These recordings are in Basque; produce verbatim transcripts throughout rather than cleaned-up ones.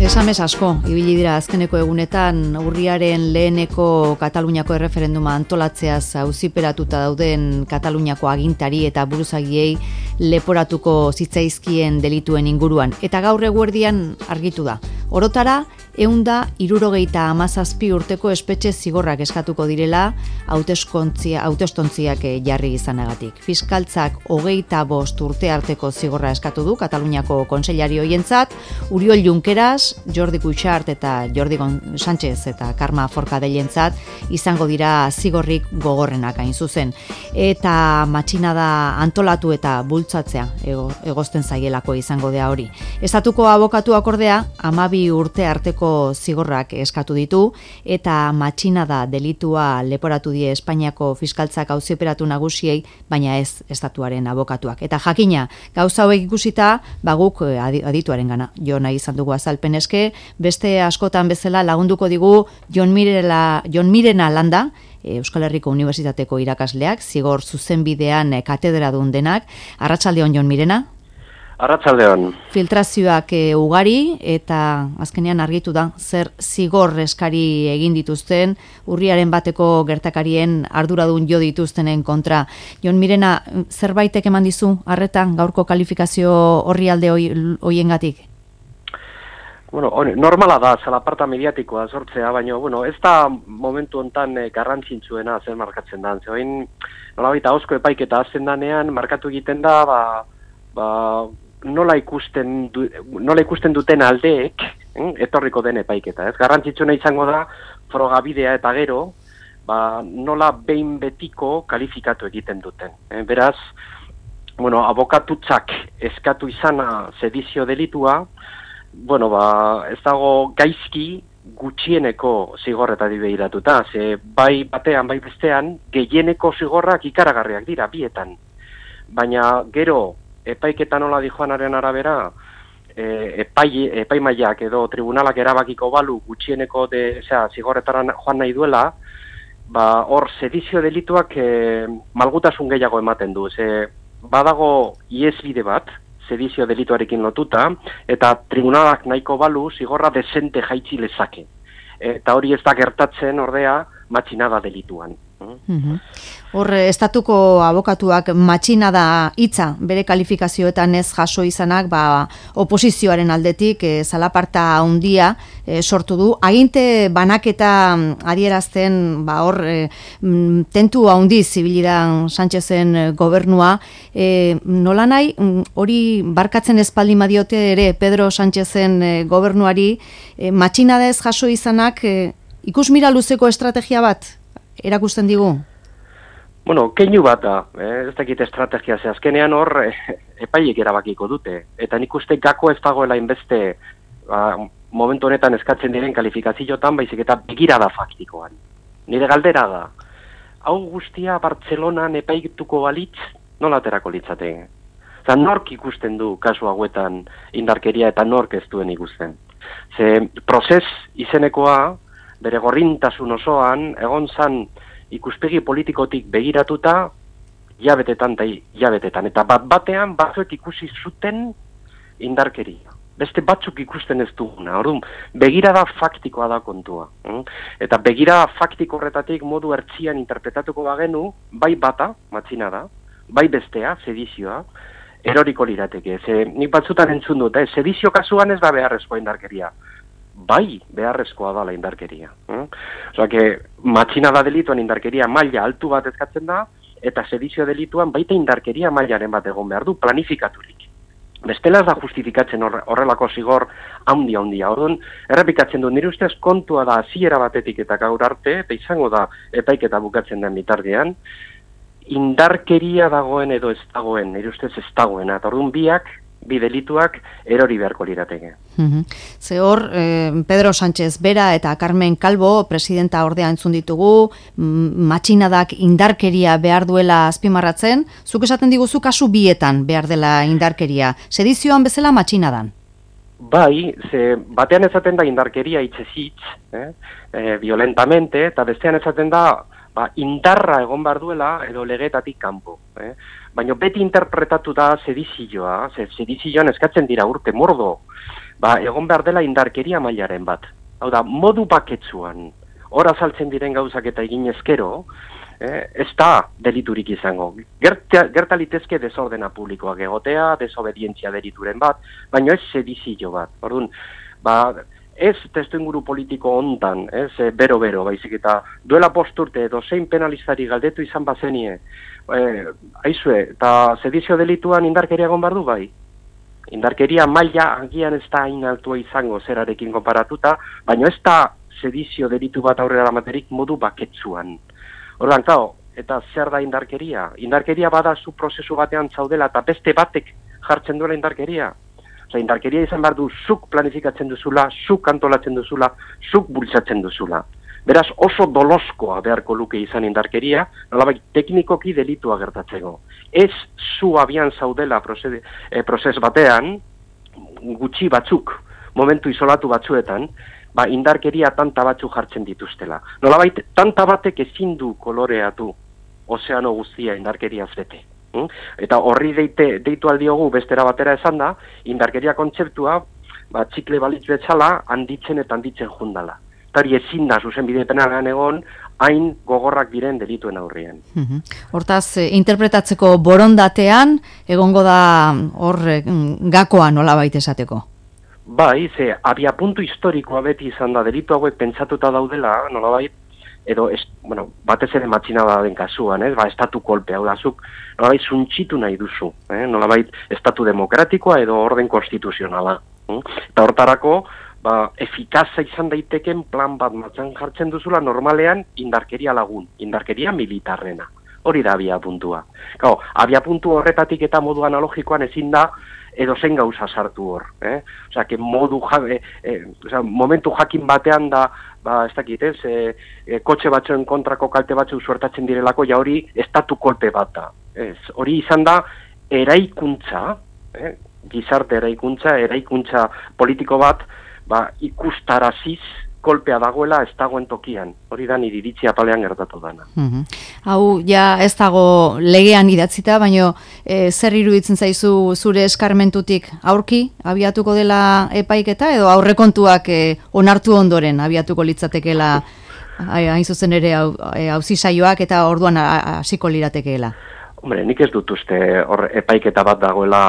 Esamez asko, ibili dira azkeneko egunetan urriaren leheneko Kataluniako erreferenduma antolatzeaz auziperatuta dauden Kataluniako agintari eta buruzagiei leporatuko zitzaizkien delituen inguruan. Eta gaur eguerdian argitu da. Orotara, ehunda hirurogeita hamazazpi urteko espetxe zigorrak eskatuko direla hautestontziak jarri izanagatik. Fiskaltzak hogeita bost urte arteko zigorra eskatu du Kataluniako kontseilari hoientzat, Uriol Junqueras, Jordi Cuixart eta Jordi Sánchez eta Carme Forcadellentzat izango dira zigorrik gogorrenak hain zuzen. Eta matxinada antolatu eta bultzatzea egozten zaielako izango da hori. Estatuko abokatuak ordea, hamabi urte arteko zigorrak eskatu ditu eta matxinada delitua leporatu die Espainiako fiskaltzak auziperatu nagusiei, baina ez estatuaren abokatuak. Eta jakina, gauza hauek ikusita, baguk adituaren gana jo nahi izan dugu azalpen eske, beste askotan bezala lagunduko digu Jon Mirela, Jon Mirena Landa, Euskal Herriko Unibertsitateko irakasleak, zigor zuzenbidean katedradun denak. Arratsaldeon Jon Mirena. Arratsaldeon. Filtrazioak e, ugari eta azkenean argitu da zer zigor eskari egin dituzten urriaren bateko gertakarien arduradun jo dituztenen kontra. Jon Mirena, zerbaitek eman dizu harretan gaurko kalifikazio horri alde hoiengatik? Bueno, normala da, zalaparta mediatikoa sortzea, baina bueno, ez da momentu hontan eh, garrantzitsuena zer markatzen da. Zeoin, nolabait ahozko epaiketa azten danean, markatu egiten da, ba, ba, nola ikusten, du, nola ikusten duten aldeek, eh, etorriko den epaiketa. Ez garrantzitsuena izango da, frogabidea eta gero, ba, nola behin betiko kalifikatu egiten duten. Eh, beraz, bueno, abokatutzak eskatu izana sedizio delitua, bueno, ba, ez dago gaizki gutxieneko zigorretari behiratuta, ze bai batean, bai bestean, gehieneko zigorrak ikaragarriak dira, bietan. Baina gero, epaiketan nola dijoanaren arabera, e, epai, epaimaiak edo tribunalak erabakiko balu gutxieneko de, zera, zigorretaran joan nahi duela, ba, hor sedizio delituak e, malgutasun gehiago ematen du, ze badago iesbide bat, sedizio delituarekin lotuta, eta tribunalak nahiko balu zigorra desente jaitsi lezake. Eta hori ez da gertatzen ordea matxinada delituan. Mm-hmm. Hor, estatuko abokatuak matxinada hitza bere kalifikazioetan ez jaso izanak, ba, oposizioaren aldetik e, zalaparta handia e, sortu du. Aginte banaketa adierazten, ba, hor, e, tentu handi zibilidan Sánchezen gobernua, e, nola nahi, hori barkatzen espaldin badiote ere Pedro Sánchezen e, gobernuari, e, matxinada ez jaso izanak, e, ikusmira luzeko estrategia bat erakusten digu? Bueno, keinu bat da, eh? Ez dakit estrategia ze azkenean hor eh, epaiek erabakiko dute. Eta nik uste gako ez dagoela inbeste ba, momentu honetan eskatzen diren kalifikazioetan, baizik eta begirada faktikoan. Nire galdera da, hau guztia Bartzelonan epaituko balitz, nola aterako litzateke? Eta nork ikusten du kasu hauetan indarkeria eta nork ez duen ikusten. Ze prozes izenekoa, bere gorrintasun osoan, egon zan ikuspegi politikotik begiratuta, jabetetan eta jabetetan. Eta bat batean batzuek ikusi zuten indarkeria. Beste batzuk ikusten ez duguna. Orduan, begirada faktikoa da kontua. Eta begirada faktiko horretatik modu ertzian interpretatuko bagenu, bai bata, matxina da, bai bestea, sedizioa, eroriko lirateke. Ze, nik batzutan entzun dut, eh? Sedizio kasuan ez da beharrezkoa indarkeria. Bai, beharrezkoa da la indarkeria. Eh? Osa, que matxinada delituan indarkeria maila altu bat eskatzen da, eta sedizio delituan baita indarkeria mailaren bat egon behar du, planifikaturik. Bestela ez da justifikatzen horrelako zigor handia handia. Orduan, errepikatzen du, nire ustez kontua da hasiera batetik eta gaur arte, eta izango da epaiketa bukatzen den bitartean, indarkeria dagoen edo ez dagoen, nire ustez ez dagoena. Eta orduan biak, bi delituak erori beharko lirateke. Mm-hmm. Ze hor, eh, Pedro Sánchez bera eta Carmen Calvo, presidenta ordea entzun ditugu, matxinadak indarkeria behar duela azpimarratzen, zuk esaten diguzu kasu bietan behar dela indarkeria, sedizioan bezala matxinadan. Bai, ze batean esaten da indarkeria hitzezitz, eh? eh, violentamente, eta bestean esaten da ba, indarra egon behar duela edo legetatik kanpo. Eh? Baina beti interpretatu da sedizioa, ze sedizioan eskatzen dira urte mordo, ba, egon behar dela indarkeria mailaren bat. Hau da, modu baketsuan, hor azaltzen diren gauzak eta egin ezkero, eh, ez da deliturik izango. Gerta, gerta litezke desordena publikoak egotea, desobedientzia delituren bat, baina ez sedizio bat. Orduan, ba, ez testuinguru politiko hontan, ez bero-bero, baizik eta duela posturte edo zein penalistari galdetu izan bazenie, eh, aizue, eta sedizio delituan indarkeria egon behar du bai. Indarkeria maila agian ez da hain altua izango zerarekin konparatuta, baina ez da sedizio delitu bat aurrera amaterik modu baketsuan. Orduan, klaro, eta zer da indarkeria? Indarkeria bada zu prozesu batean zaudela eta beste batek jartzen duela indarkeria. Osa, indarkeria izan behar du zuk planifikatzen duzula, zuk antolatzen duzula, zuk bultzatzen duzula. Beraz, oso doloskoa beharko luke izan indarkeria, nolabait teknikoki delitua gertatzeko. Ez zu abian zaudela prozes, eh, prozes batean, gutxi batzuk, momentu isolatu batzuetan, ba, indarkeria tanta batzuk jartzen dituztela. Nolabait, tanta batek ezin du koloreatu ozeano guztia indarkeriaz bete. Hmm? Eta horri deite, deitu aldiogu bestera batera esan da, indarkeria kontzeptua, ba, txikle balitz betzala, handitzen eta handitzen jundala. Eta hori ezin da, zuzen bide penalean egon, hain gogorrak diren delituen aurrien. Mm-hmm. Hortaz, eh, interpretatzeko borondatean, egongo da hor eh, gakoa nolabait esateko? Bai, ze, abia puntu historikoa beti izan da, delitu hauek pentsatuta daudela, nolabait, edo, es, bueno, batez ere matxinada den kasuan, eh? Ba, estatu kolpe, hau da, zuk, nolabait, zuntxitu nahi duzu, eh? Nolabait, estatu demokratikoa edo orden konstituzionala. Eh? Eta hortarako, ba, efikaza izan daiteken plan bat matzan jartzen duzula normalean indarkeria lagun, indarkeria militarrena. Hori da abia puntua. Gau, abia puntu horretatik eta modu analogikoan ezin da edo zen gauza sartu hor. Eh? Osea, que modu ja, eh, eh, osea, momentu jakin batean da, ba, ez dakit, ez, eh, eh, kotxe batzuen kontrako kalte batzuk suertatzen direlako, ja hori estatu kolpe bat da. Ez, hori izan da eraikuntza, eh? Gizarte eraikuntza, eraikuntza politiko bat, ba, ikustaraziz kolpea dagoela ez dagoen tokian. Hori da nire iritzia palean gertatu dana. Mm-hmm. Hau, ja ez dago legean idatzita, baina e, zer iruditzen zaizu zure eskarmentutik aurki abiatuko dela epaiketa edo aurrekontuak e, onartu ondoren abiatuko litzatekeela hain zuzen ere auzisaioak eta orduan hasiko liratekeela? Hombre, nik ez dut uste hor epaiketa bat dagoela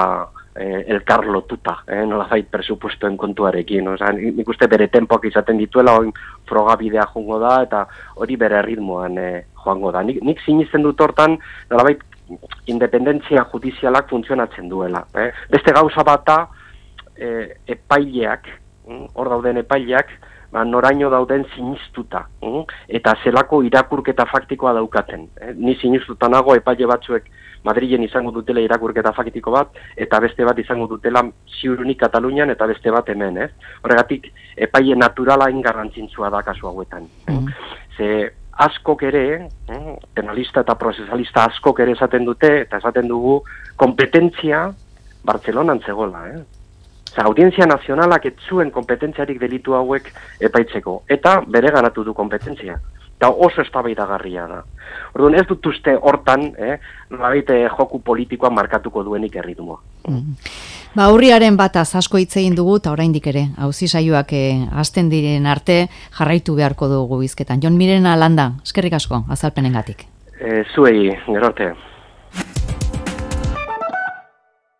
Eh, elkar lotuta, eh, nolazait presupuestoen kontuarekin. Osa, nik uste bere tempoak izaten dituela, oin frogabidea joango da, eta hori bere ritmoan eh, joango da. Nik, nik sinisten dut hortan, nolabait, independentzia judizialak funtzionatzen duela. Eh. Beste gauza bat da, eh, epaileak, hor dauden epaileak, ba, noraino dauden sinistuta, mm? eta zelako irakurketa faktikoa daukaten. Eh? Ni sinistuta nago epaile batzuek Madrilen izango dutela irakurketa faktiko bat, eta beste bat izango dutela ziurunik Katalunian, eta beste bat hemen, ez? Horregatik, epaile naturala ingarrantzitsua da kasu hauetan. Mm. Ze askok ere, eh? penalista eta prozesalista askok ere esaten dute, eta esaten dugu, kompetentzia Bartzelonan zegoela, eh? Zer, audientzia nazionalak ez zuen kompetentziarik delitu hauek epaitzeko, eta bere ganatu du kompetentzia. Eta oso eztabaidagarria da. Orduan ez dut uste hortan, eh, nolabait joku politikoa markatuko duenik erritmoa. Mm. Ba, urriaren bataz asko hitz egin dugu, eta oraindik ere, auzisaioak eh, hasten diren arte jarraitu beharko dugu hizketan. Jon Mirena Landa, eskerrik asko azalpenengatik. Eh, zuei, gero arte.